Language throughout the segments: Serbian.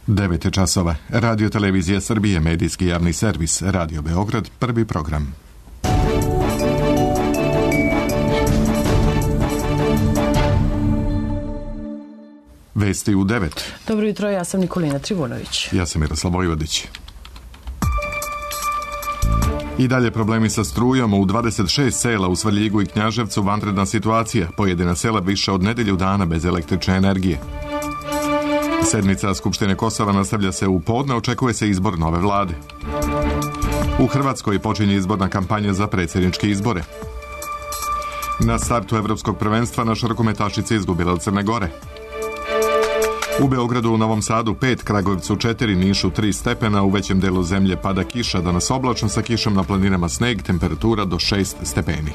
9 je časova. Radio Televizija Srbije, medijski javni servis, Radio Beograd, prvi program. Vesti u 9. Dobro jutro, ja sam Nikolina Trivunović. Ja sam Miroslav Vojvodić. I dalje problemi sa strujom. U 26 sela u Svrljigu i Knjaževcu vanredna situacija. Pojedina sela više od nedelju dana bez električne energije. Sedmica Skupštine Kosova nastavlja se u podne, očekuje se izbor nove vlade. U Hrvatskoj počinje izborna kampanja za predsjedničke izbore. Na startu Evropskog prvenstva naša rukometašica izgubila od Crne Gore. U Beogradu, u Novom Sadu 5, Kragujevcu 4, Nišu 3 stepena, u većem delu zemlje pada kiša, danas oblačno sa kišom, na planinama sneg, temperatura do 6 stepeni.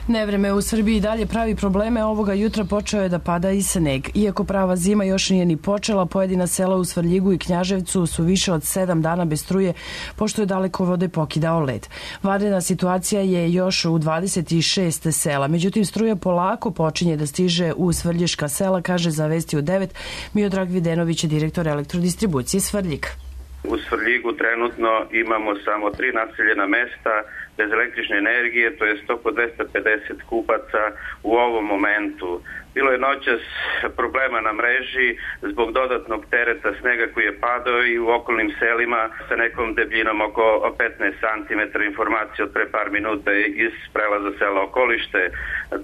Nevreme u Srbiji dalje pravi probleme, ovoga jutra počeo je da pada i sneg. Iako prava zima još nije ni počela, pojedina sela u Svrljigu i Knjaževcu su više od 7 dana bez struje, pošto je dalekovode pokidao led. Vanredna situacija je još u 26 sela, međutim struja polako počinje da stiže u svrljiška sela, kaže za Vesti u 9 Miodrag Videnović, direktor elektrodistribucije Svrljig. U Svrljigu trenutno imamo samo 3 naseljena mesta bez električne energije, to je oko 250 kupaca u ovom momentu. Bilo je noćas problema na mreži zbog dodatnog tereta snega koji je padao i u okolnim selima sa nekom debljinom oko 15 cm, informacija od pre par minuta iz prelaza sela Okolište.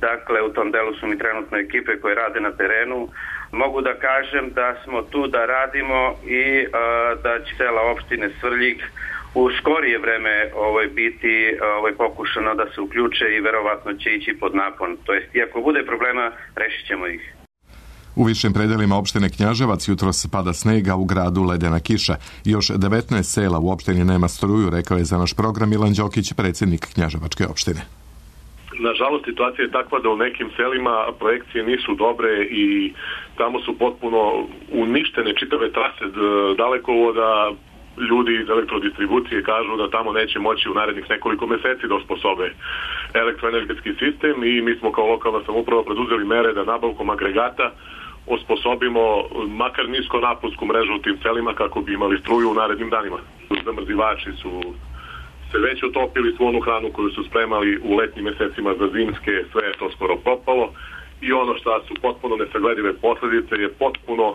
Dakle, u tom delu su mi trenutno ekipe koje rade na terenu. Mogu da kažem da smo tu da radimo i da će cela opštine Svrljig u skorije vreme biti pokušano da se uključe i verovatno će ići pod napon. To jest, i ako bude problema, rešit ćemo ih. U višim predelima opštine Knjaževac jutros pada snega, u gradu ledena kiša. Još 19 sela u opštini nema struju, rekao je za naš program Milan Đokić, predsjednik Knjaževačke opštine. Nažalost, situacija je takva da u nekim selima projekcije nisu dobre i tamo su potpuno uništene čitave trase dalekovoda. Ljudi iz elektrodistribucije kažu da tamo neće moći u narednih nekoliko meseci da osposobe elektroenergetski sistem i mi smo kao lokalna samouprava preduzeli mere da nabavkom agregata osposobimo makar nisko naponsku mrežu u tim selima kako bi imali struju u narednim danima. Zamrzivači su se već otopili, svu onu hranu koju su spremali u letnjim mesecima za zimske, sve je to skoro propalo i ono što su potpuno nesagledive posljedice je potpuno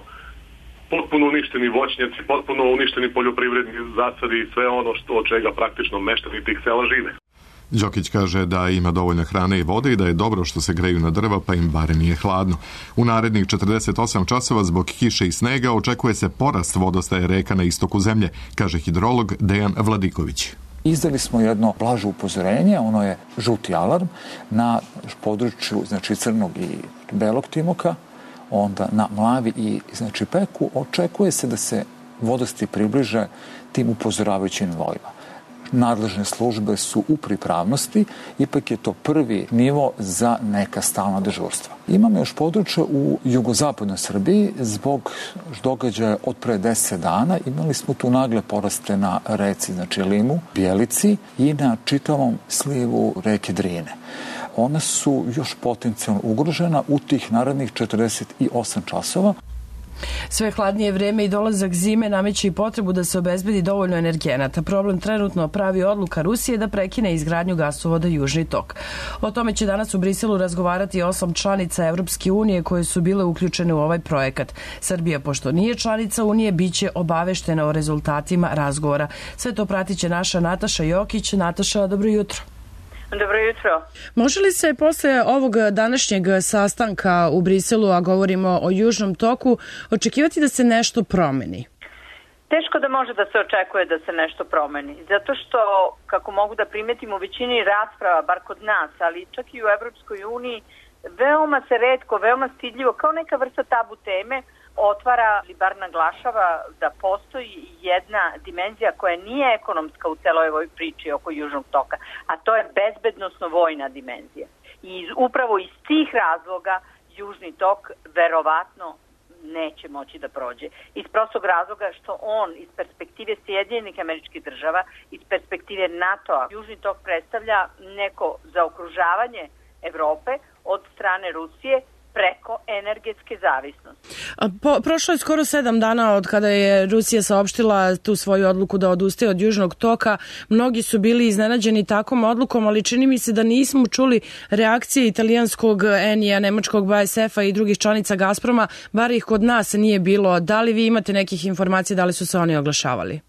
uništeni voćnjaci, potpuno uništeni poljoprivredni zasadi i sve ono od čega praktično meštani tih sela žive. Đokić kaže da ima dovoljno hrane i vode i da je dobro što se greju na drva pa im bare nije hladno. U narednih 48 časova zbog kiše i snega očekuje se porast vodostaja reka na istoku zemlje, kaže hidrolog Dejan Vladiković. Izdali smo jedno blaže upozorenje, ono je žuti alarm na području Crnog i Belog Timoka, onda na Mlavi i Peku. Očekuje se da se vodosti približe tim upozoravajućim nivoima. Nadležne službe su u pripravnosti, ipak je to prvi nivo za neka stalna dežurstva. Imamo još područje u jugozapadnoj Srbiji zbog događaja od pre 10 dana. Imali smo tu nagle poraste na reci, Limu, Bjelici i na čitavom slivu reke Drine. Ona su još potencijalno ugrožena u tih narednih 48 časova. Sve hladnije vreme i dolazak zime nameće i potrebu da se obezbedi dovoljno energenata. Problem trenutno pravi odluka Rusije da prekine izgradnju gasovoda Južni tok. O tome će danas u Briselu razgovarati 8 članica Evropske unije koje su bile uključene u ovaj projekat. Srbija, pošto nije članica Unije, biće obaveštena o rezultatima razgovora. Sve to pratit će naša Nataša Jokić. Nataša, dobro jutro. Dobro jutro. Može li se posle ovog današnjeg sastanka u Briselu, a govorimo o Južnom toku, očekivati da se nešto promeni? Teško da može da se očekuje da se nešto promeni. Zato što, kako mogu da primetim u većini rasprava, bar kod nas, ali čak i u Evropskoj uniji, veoma se retko, veoma stidljivo, kao neka vrsta tabu teme, otvara ili bar naglašava da postoji jedna dimenzija koja nije ekonomska u celoj ovoj priči oko Južnog toka, a to je bezbednosno-vojna dimenzija. I upravo iz tih razloga Južni tok verovatno neće moći da prođe. Iz prostog razloga što on iz perspektive Sjedinjenih Američkih Država, iz perspektive NATO-a, Južni tok predstavlja neko zaokružavanje Evrope od strane Rusije preko energetske zavisnosti. Prošlo je skoro 7 dana od kada je Rusija saopštila tu svoju odluku da odustaje od Južnog toka. Mnogi su bili iznenađeni takvom odlukom, ali čini mi se da nismo čuli reakcije italijanskog ENI-a, nemačkog BASF-a i drugih članica Gazproma, bar ih kod nas nije bilo. Da li vi imate nekih informacija, da li su se oni oglašavali?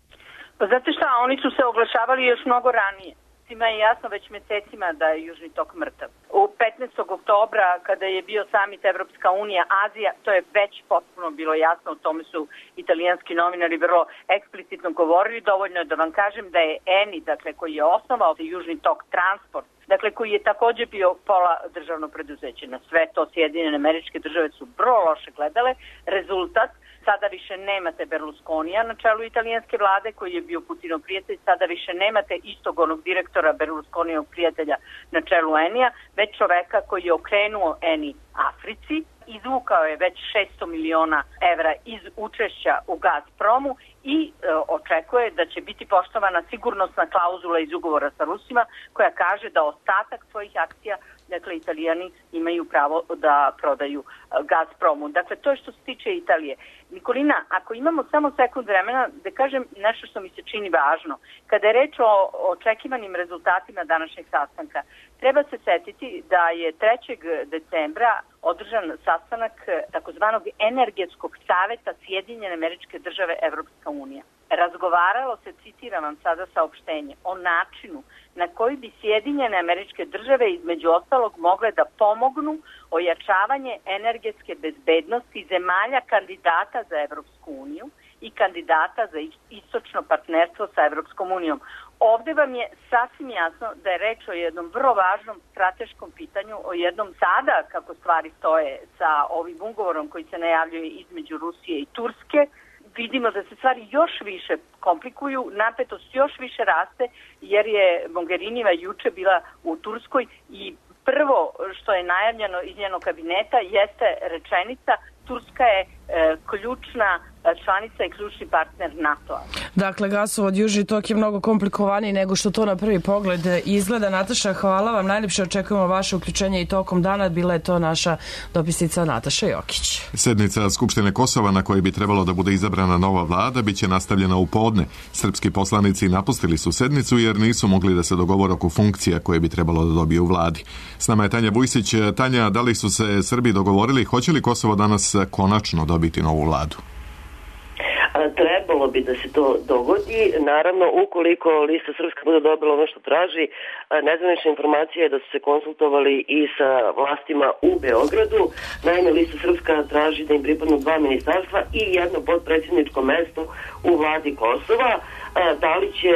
Pa znate šta, oni su se oglašavali još mnogo ranije. Svima je jasno već mesecima da je Južni tok mrtav. U 15. oktobra, kada je bio samit Evropska unija, Azija, to je već potpuno bilo jasno, o tome su italijanski novinari vrlo eksplicitno govorili. Dovoljno je da vam kažem da je ENI, dakle, koji je osnovao Južni tok transport, dakle, koji je takođe bio pola državno preduzeće. Na sve to Sjedinjene Američke Države su vrlo loše gledale. Rezultat, sada više nemate Berlusconija na čelu italijanske vlade, koji je bio Putinov prijatelj, sada više nemate istog onog direktora Berlusconijevog prijatelja na čelu ENI-a, već čoveka koji je okrenuo ENI Africi, izvukao je već 600 miliona evra iz učešća u Gazpromu i očekuje da će biti poštovana sigurnosna klauzula iz ugovora sa Rusima koja kaže da ostatak svojih akcija, dakle, Italijani imaju pravo da prodaju Gazpromu. Dakle, to je što se tiče Italije. Nikolina, ako imamo samo sekund vremena, da kažem nešto što mi se čini važno. Kada je reč o očekivanim rezultatima današnjeg sastanka, treba se setiti da je 3. decembra održan sastanak takozvanog energetskog saveta Sjedinjene Američke Države Evropska unija. Razgovaralo se, citiram vam sada saopštenje, o načinu na koji bi Sjedinjene Američke Države između ostalog mogle da pomognu ojačavanje energetske bezbednosti zemalja kandidata za Evropsku uniju i kandidata za istočno partnerstvo sa Evropskom unijom. Ovde vam je sasvim jasno da je reč o jednom vrlo važnom strateškom pitanju, o jednom sada, kako stvari stoje sa ovim ugovorom koji se najavljuje između Rusije i Turske. Vidimo da se stvari još više komplikuju, napetost još više raste, jer je Mogherinijeva juče bila u Turskoj i prvo što je najavljeno iz njenog kabineta jeste rečenica: Turska je ključna članica i ključni partner NATO-a. Dakle, gasovod Južni tok je mnogo komplikovaniji nego što to na prvi pogled izgleda. Nataša, hvala vam. Najljepše očekujemo vaše uključenje i tokom dana. Bila je to naša dopisnica Nataša Jokić. Sednica Skupštine Kosova na kojoj bi trebalo da bude izabrana nova vlada biće nastavljena u podne. Srpski poslanici napustili su sednicu jer nisu mogli da se dogovore oko funkcija koje bi trebalo da dobije u vladi. S nama je Tanja Vujsić. Tanja, da li su se Srbi dogovorili? Hoće li Kosovo danas konačno dobiti novu vladu? Trebalo bi da se to dogodi. Naravno, ukoliko Lista Srpska bude dobila ono što traži, nezvanična informacija je da su se konsultovali i sa vlastima u Beogradu. Naime, Lista Srpska traži da im pripadnu 2 ministarstva i jedno podpredsjedničko mesto u vladi Kosova. Da li će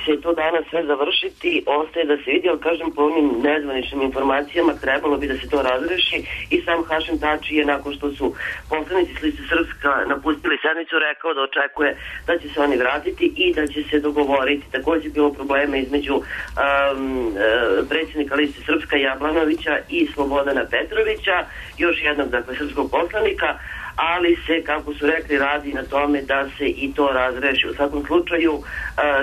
se to danas sve završiti, ostaje da se vidi, ali kažem, po onim nezvaničnim informacijama trebalo bi da se to razreši i sam Hašim Tači je, nakon što su poslanici s Liste Srpska napustili sednicu, rekao da očekuje da će se oni vratiti i da će se dogovoriti. Također bilo problema između predsjednika Liste Srpska Jablanovića i Slobodana Petrovića, još jednog, dakle, srpskog poslanika, ali se, kako su rekli, radi na tome da se i to razreši. U svakom slučaju,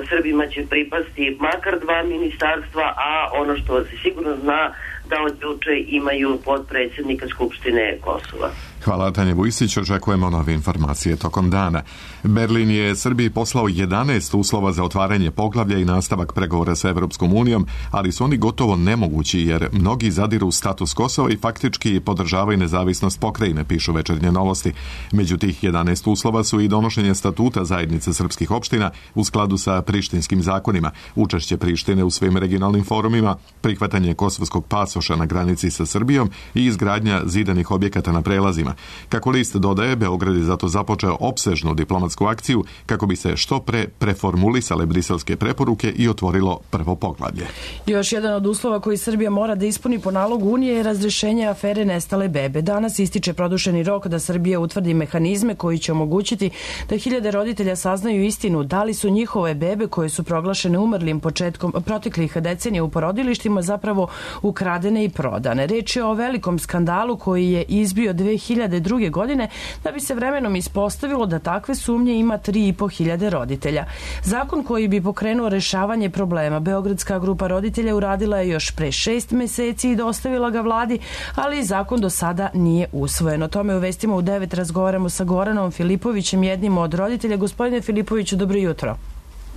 Srbima će pripasti makar 2 ministarstva, a ono što se sigurno zna da od juče imaju podpredsjednika Skupštine Kosova. Hvala, Tanja Vujsić. Očekujemo nove informacije tokom dana. Berlin je Srbiji poslao 11 uslova za otvaranje poglavlja i nastavak pregovora sa Evropskom unijom, ali su oni gotovo nemogući jer mnogi zadiru status Kosova i faktički podržavaju nezavisnost pokrajine, pišu Večernje novosti. Među tih 11 uslova su i donošenje statuta zajednice srpskih opština u skladu sa prištinskim zakonima, učešće Prištine u svim regionalnim forumima, prihvatanje kosovskog pasoša na granici sa Srbijom i izgradnja zidanih objekata na prelazima. Kako list dodaje, Beograd je zato započeo opsežnu diplomatsku akciju kako bi se što pre preformulisale briselske preporuke i otvorilo prvo poglavlje. Još jedan od uslova koji Srbija mora da ispuni po nalogu Unije je razrešenje afere nestale bebe. Danas ističe produženi rok da Srbija utvrdi mehanizme koji će omogućiti da hiljade roditelja saznaju istinu da li su njihove bebe koje su proglašene umrlim početkom proteklih decenija u porodilištima zapravo ukradene i prodane. Reč je o velikom skandalu koji je izbio 2000 2002. godine, da bi se vremenom ispostavilo da takve sumnje ima 3.500 roditelja. Zakon koji bi pokrenuo rešavanje problema, Beogradska grupa roditelja uradila je još pre 6 meseci i dostavila ga vladi, ali zakon do sada nije usvojen. O tome u Vestima u 9 razgovaramo sa Goranom Filipovićem, jednim od roditelja. Gospodine Filipoviću, dobro jutro.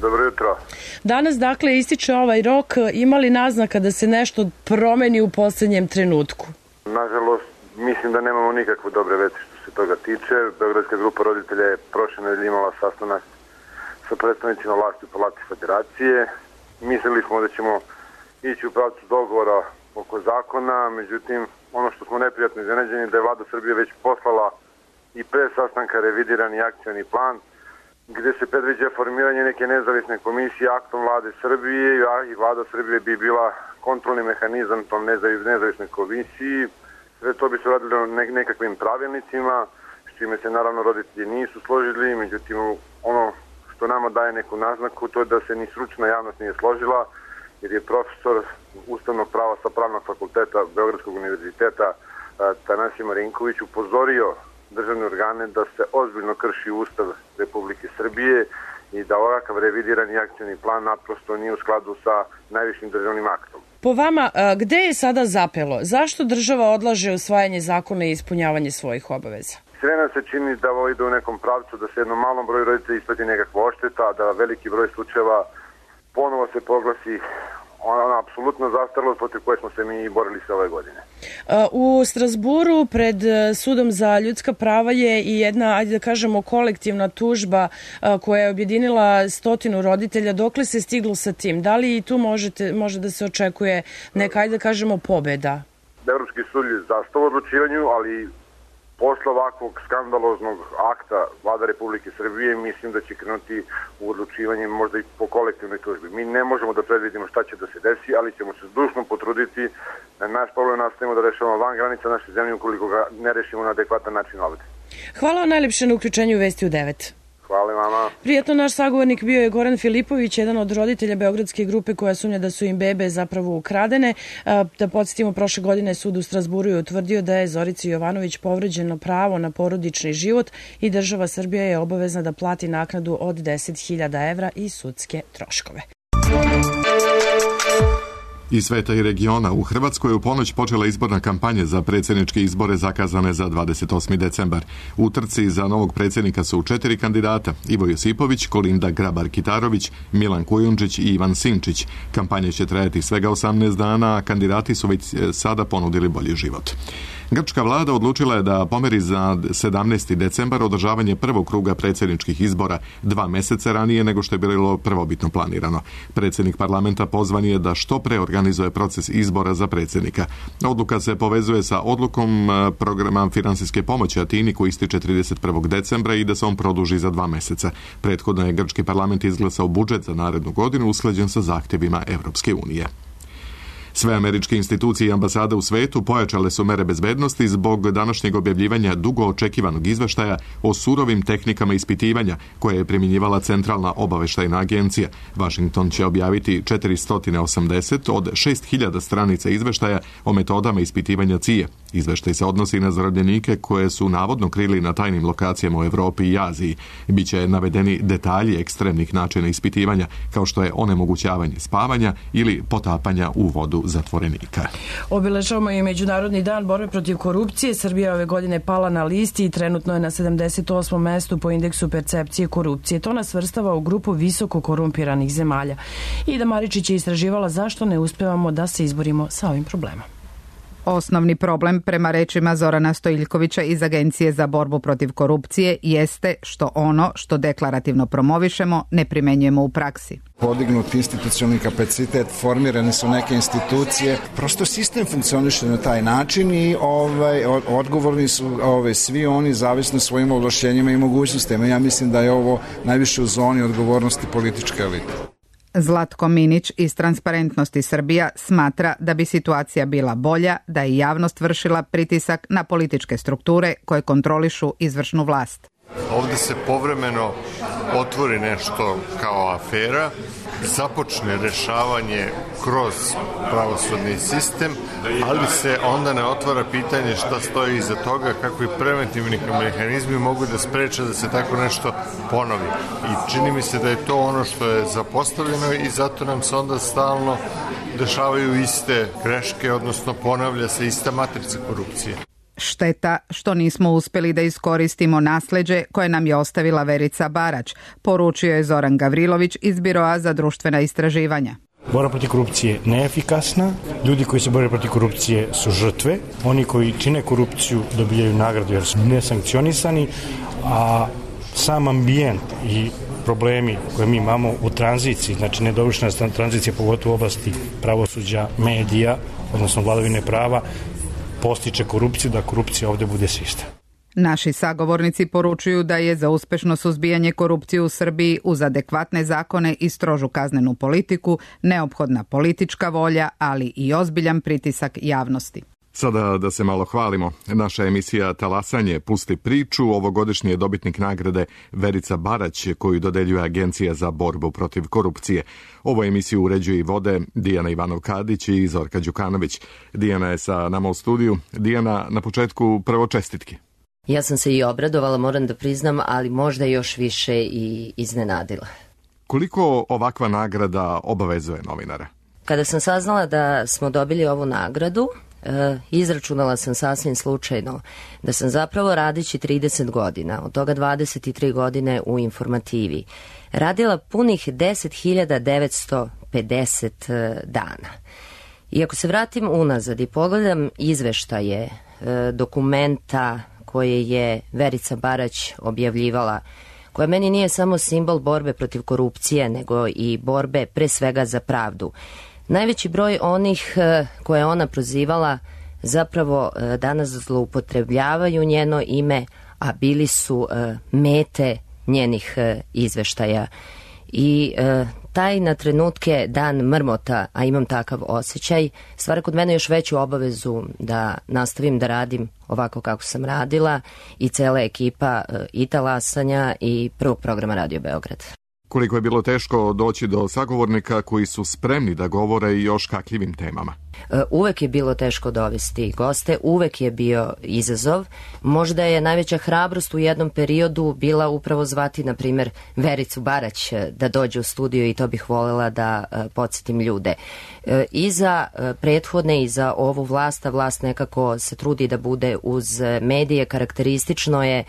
Dobro jutro. Danas, dakle, ističe ovaj rok. Ima li naznaka da se nešto promeni u poslednjem trenutku? Nažalost, mislim da nemamo nikakve dobre vesti što se toga tiče. Beogradska grupa roditelja je prošle nedelje imala sastanak sa predstavnicima vlasti u Palati Federacije. Mislili smo da ćemo ići u pravcu dogovora oko zakona, međutim, ono što smo neprijatno iznenađeni da je vlada Srbije već poslala i pre sastanka revidirani akcioni plan gde se predviđa formiranje neke nezavisne komisije aktom vlade Srbije i vlada Srbije bi bila kontrolni mehanizam tom nezavisnoj komisiji. Sve to bi se radilo nekakvim pravilnicima, s čime se naravno roditelji nisu složili, međutim ono što nama daje neku naznaku to je da se ni stručna javnost nije složila, jer je profesor ustavnog prava sa Pravnog fakulteta Beogradskog univerziteta Tanasije Marinković upozorio državne organe da se ozbiljno krši Ustav Republike Srbije i da ovakav revidirani akcioni plan naprosto nije u skladu sa najvišim državnim aktom. Po vama, gde je sada zapelo? Zašto država odlaže usvajanje zakona i ispunjavanje svojih obaveza? Sve nam se čini da ovo ide u nekom pravcu, da se jednom malom broju roditelja isplati nekakva odšteta, da veliki broj slučajeva ponovo se proglasi apsolutno zastaralost protiv koje smo se mi borili sve ove godine. U Strazburu pred Sudom za ljudska prava je i jedna, ajde da kažemo, kolektivna tužba koja je objedinila 100 roditelja. Dokle se stiglo sa tim? Da li i tu može da se očekuje neka, ajde da kažemo, pobeda? Evropski sud je zastao u odlučivanju, ali posle ovakvog skandaloznog akta vlada Republike Srbije mislim da će krenuti u odlučivanje možda i po kolektivnoj tužbi. Mi ne možemo da predvidimo šta će da se desi, ali ćemo se zdušno potruditi da naš problem nastavimo da rešavamo van granica naše zemlje ukoliko ga ne rešimo na adekvatan način ovde. Hvala vam najlepše na uključenju u Vesti u 9. Hvala vama. Prijetno, naš sagovornik bio je Goran Filipović, jedan od roditelja Beogradske grupe koja sumnja da su im bebe zapravo ukradene. Da podsjetimo, prošle godine sud u Strazburu je utvrdio da je Zorici Jovanović povređeno pravo na porodični život i država Srbija je obavezna da plati naknadu od 10.000 evra i sudske troškove. Iz sveta i regiona u Hrvatskoj u ponoć počela izborna kampanja za predsjedničke izbore zakazane za 28. decembar. U trci za novog predsjednika su 4 kandidata: Ivo Josipović, Kolinda Grabar-Kitarović, Milan Kujundžić i Ivan Sinčić. Kampanja će trajati svega 18 dana, a kandidati su već sada ponudili bolji život. Grčka vlada odlučila je da pomeri za 17. decembar održavanje prvog kruga predsjedničkih izbora 2 meseca ranije nego što je bilo prvobitno planirano. Predsjednik parlamenta pozvan je da što pre organizuje proces izbora za predsjednika. Odluka se povezuje sa odlukom programa finansijske pomoći Atini koji ističe 31. decembra i da se on produži za 2 meseca. Prethodno je grčki parlament izglasao budžet za narednu godinu usklađen sa zahtjevima Evropske unije. Sve američke institucije i ambasade u svetu pojačale su mere bezbednosti zbog današnjeg objavljivanja dugo očekivanog izveštaja o surovim tehnikama ispitivanja koje je primjenjivala Centralna obaveštajna agencija. Washington će objaviti 480 od 6000 stranica izveštaja o metodama ispitivanja CIA. Izveštaj se odnosi na zarobljenike koje su navodno krili na tajnim lokacijama u Evropi i Aziji. Biće navedeni detalji ekstremnih načina ispitivanja, kao što je onemogućavanje spavanja ili potapanja u vodu zatvorenika. Obeležavamo i Međunarodni dan borbe protiv korupcije. Srbija ove godine pala na listi i trenutno je na 78. mestu po indeksu percepcije korupcije. To nas svrstava u grupu visoko korumpiranih zemalja. Ida Maričić je istraživala zašto ne uspevamo da se izborimo sa ovim problemom. Osnovni problem, prema rečima Zorana Stojiljkovića iz Agencije za borbu protiv korupcije, jeste što ono što deklarativno promovišemo ne primenjujemo u praksi. Podignut institucionalni kapacitet, formirane su neke institucije, prosto sistem funkcioniše na taj način i odgovorni su svi oni zavisno svojim ovlašćenjima i mogućnostima. Ja mislim da je ovo najviše u zoni odgovornosti političke elite. Zlatko Minić iz Transparentnosti Srbija smatra da bi situacija bila bolja da je javnost vršila pritisak na političke strukture koje kontrolišu izvršnu vlast. Ovde se povremeno otvori nešto kao afera, započne rešavanje kroz pravosudni sistem, ali se onda ne otvara pitanje šta stoji iza toga, kakvi preventivni mehanizmi mogu da spreče da se tako nešto ponovi. I čini mi se da je to ono što je zapostavljeno i zato nam se onda stalno dešavaju iste greške, odnosno ponavlja se ista matrica korupcije. Šteta što nismo uspjeli da iskoristimo nasleđe koje nam je ostavila Verica Barać, poručio je Zoran Gavrilović iz Biroa za društvena istraživanja. Borba protiv korupcije je neefikasna, ljudi koji se bore protiv korupcije su žrtve, oni koji čine korupciju dobijaju nagradu jer su nesankcionisani, a sam ambijent i problemi koje mi imamo u tranziciji, znači nedovršena tranzicija pogotovo u oblasti pravosuđa, medija, odnosno vladavine prava, postiče korupciju, da korupcija ovdje bude sistem. Naši sagovornici poručuju da je za uspešno suzbijanje korupcije u Srbiji uz adekvatne zakone i strožu kaznenu politiku neophodna politička volja, ali i ozbiljan pritisak javnosti. Sada da se malo hvalimo. Naša emisija Talasanje pusti priču. Ovogodišnji je dobitnik nagrade Verica Barać, koju dodeljuje Agencija za borbu protiv korupcije. Ovu emisiju uređuje i vode Dijana Ivanov-Kadić i Zorka Đukanović. Dijana je sa nama u studiju. Dijana, na početku prvo čestitke. Ja sam se i obradovala, moram da priznam, ali možda još više i iznenadila. Koliko ovakva nagrada obavezuje novinara? Kada sam saznala da smo dobili ovu nagradu, izračunala sam sasvim slučajno da sam zapravo radeći 30 godina, od toga 23 godine u informativi, radila punih 10.950 dana. I ako se vratim unazad i pogledam izveštaje, dokumenta koje je Verica Barać objavljivala, koja meni nije samo simbol borbe protiv korupcije, nego i borbe pre svega za pravdu. Najveći broj onih koje ona prozivala zapravo danas zloupotrebljavaju njeno ime, a bili su mete njenih izveštaja. I taj na trenutke dan mrmota, a imam takav osjećaj, stvara kod mene još veću obavezu da nastavim da radim ovako kako sam radila i cela ekipa i Talasanja i prvog programa Radio Beograd. Koliko je bilo teško doći do sagovornika koji su spremni da govore i o škakljivim temama? Uvek je bilo teško dovesti goste, uvek je bio izazov. Možda je najveća hrabrost u jednom periodu bila upravo zvati, na primjer, Vericu Barać da dođe u studio i to bih voljela da podsjetim ljude. I za prethodne i za ovu vlast, a vlast nekako se trudi da bude uz medije, karakteristično je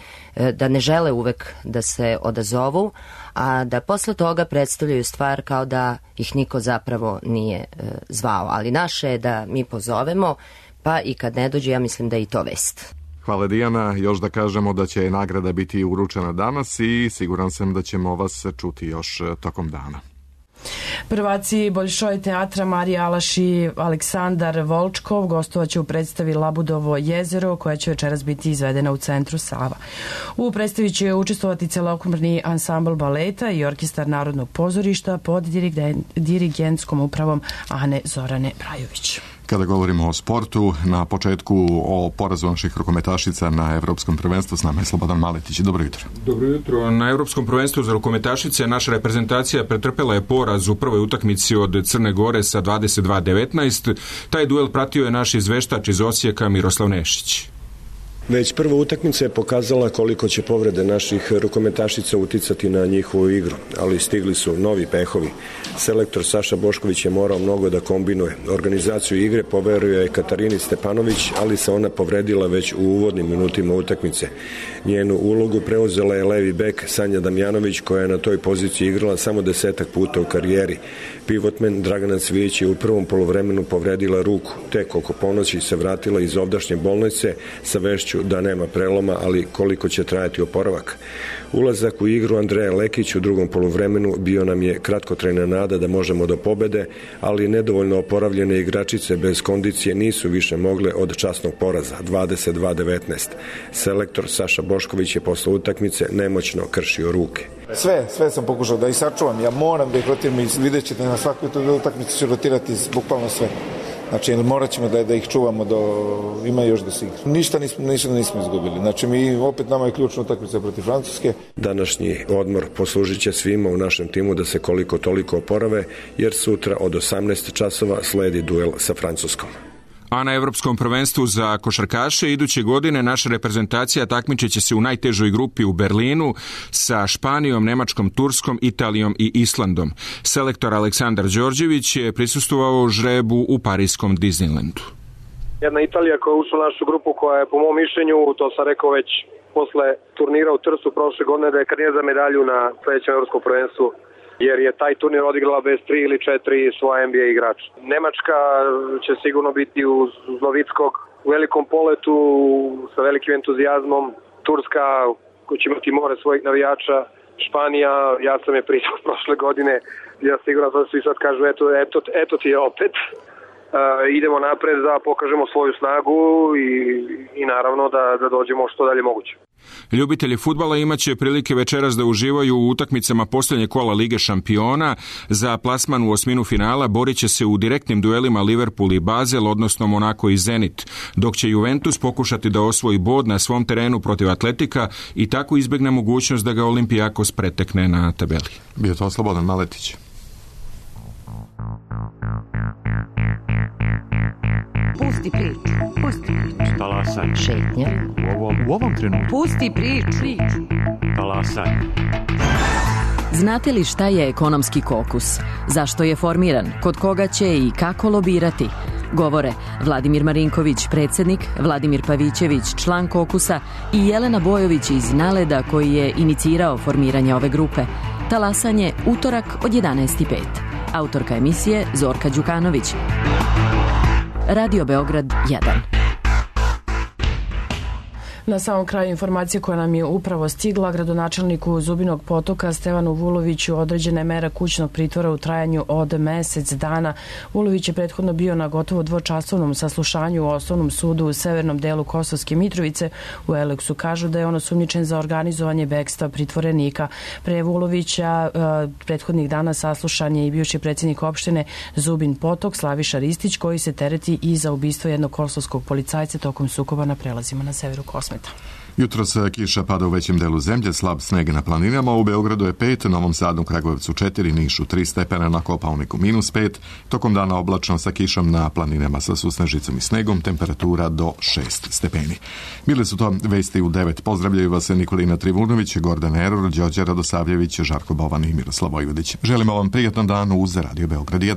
da ne žele uvek da se odazovu, a da posle toga predstavljaju stvar kao da ih niko zapravo nije zvao. Ali naše je da mi pozovemo, pa i kad ne dođe, ja mislim da je i to vest. Hvala Dijana, još da kažemo da će nagrada biti uručena danas i siguran sam da ćemo vas čuti još tokom dana. Prvaci Bolšoj teatra Marija Alaš i Aleksandar Volčkov gostovaće u predstavi Labudovo jezero, koja će večeras biti izvedena u centru Sava. U predstavi će učestvovati celokupni ansambl baleta i orkestar Narodnog pozorišta pod dirigentskom upravom Ane Zorane Brajović. Kada govorimo o sportu, na početku o porazu naših rukometašica na Evropskom prvenstvu, s nama je Slobodan Maletić. Dobro jutro. Dobro jutro. Na Evropskom prvenstvu za rukometašice naša reprezentacija pretrpela je poraz u prvoj utakmici od Crne Gore sa 22-19. Taj duel pratio je naš izveštač iz Osijeka Miroslav Nešić. Već prva utakmica je pokazala koliko će povrede naših rukometašica uticati na njihovu igru, ali stigli su novi pehovi. Selektor Saša Bošković je morao mnogo da kombinuje. Organizaciju igre poverio je Katarini Stepanović, ali se ona povredila već u uvodnim minutima utakmice. Njenu ulogu preuzela je levi bek Sanja Damjanović, koja je na toj poziciji igrala samo 10 puta u karijeri. Pivotmen Dragana Cvijić je u prvom poluvremenu povredila ruku. Tek oko ponoći se vratila iz ovdašnje bolnice sa vešću da nema preloma, ali koliko će trajati oporavak. Ulazak u igru Andreja Lekić u drugom poluvremenu bio nam je kratkotrajna nada da možemo do pobede, ali nedovoljno oporavljene igračice bez kondicije nisu više mogle od časnog poraza, 22-19. Selektor Saša Bošković je posle utakmice nemoćno kršio ruke. Sve sam pokušao da ih sačuvam. Ja moram da ih rotiram i vidjet ćete na svakoj utakmici ću rotirati bukvalno sve. Znači, morat ćemo da ih čuvamo ima još da se igra. Ništa nismo izgubili. Znači, opet nama je ključna utakmica protiv Francuske. Današnji odmor poslužit će svima u našem timu da se koliko toliko oporave, jer sutra od 18 časova sledi duel sa Francuskom. A na Evropskom prvenstvu za košarkaše iduće godine naša reprezentacija takmičit će se u najtežoj grupi u Berlinu sa Španijom, Nemačkom, Turskom, Italijom i Islandom. Selektor Aleksandar Đorđević je prisustvovao žrebu u parijskom Disneylandu. Jedna Italija koja je ušla u našu grupu, koja je po mom mišljenju, to sam rekao već posle turnira u Trstu prošle godine, da je kandidat za medalju na sledećem Evropskom prvenstvu, jer je taj turnir odigrala bez 3 ili 4 svoja NBA igrača. Nemačka će sigurno biti uz Novickog u velikom poletu, sa velikim entuzijazmom. Turska koja će imati more svojih navijača. Španija, ja sam je pričao prošle godine, ja siguran da svi sad kažu eto ti je opet. Idemo napred da pokažemo svoju snagu i naravno da dođemo što dalje moguće. Ljubitelji fudbala imaće prilike večeras da uživaju u utakmicama posljednje kola Lige šampiona. Za plasman u osminu finala borit će se u direktnim duelima Liverpool i Basel, odnosno Monako i Zenit, dok će Juventus pokušati da osvoji bod na svom terenu protiv Atletika i tako izbjegne mogućnost da ga Olimpijakos pretekne na tabeli. Bio to Slobodan Maletić. Pusti priču. Talasaj. Šetnja. U ovom trenutku. Pusti priču. Talasaj. Znate li šta je ekonomski kokus? Zašto je formiran? Kod koga će i kako lobirati? Govore Vladimir Marinković, predsjednik, Vladimir Pavićević, član kokusa i Jelena Bojović iz Naleda koji je inicirao formiranje ove grupe. Talasanje utorak od 11:05. Autorka emisije Zorka Đukanović. Radio Beograd 1. Na samom kraju informacije koja nam je upravo stigla, gradonačelniku Zubinog Potoka Stevanu Vuloviću određena je mera kućnog pritvora u trajanju od mesec dana. Vulović je prethodno bio na gotovo dvočasovnom saslušanju u Osnovnom sudu u severnom delu Kosovske Mitrovice. U Eleksu kažu da je on osumnjičen za organizovanje bekstva pritvorenika. Pre Vulovića prethodnih dana saslušan je i bivši predsjednik opštine Zubin Potok Slaviša Ristić, koji se tereti i za ubistvo jednog kosovskog policajca tokom sukoba na prelazima na severu Kosmeta. Jutros kiša pada u većem delu zemlje, slab sneg na planinama, u Beogradu je 5, Novom Sadu, Kragujevcu 4, Nišu 3 stepena, na Kopaoniku -5, tokom dana oblačno sa kišom na planinama sa susnežicom i snegom, temperatura do 6 stepeni. Bile su to vesti u 9. Pozdravljaju vas Nikolina Trivunović, Gordan Eror, Đorđe Radosavljević, Žarko Bovan i Miroslav Vojvodić. Želimo vam prijatan dan uz Radio Beograd 1.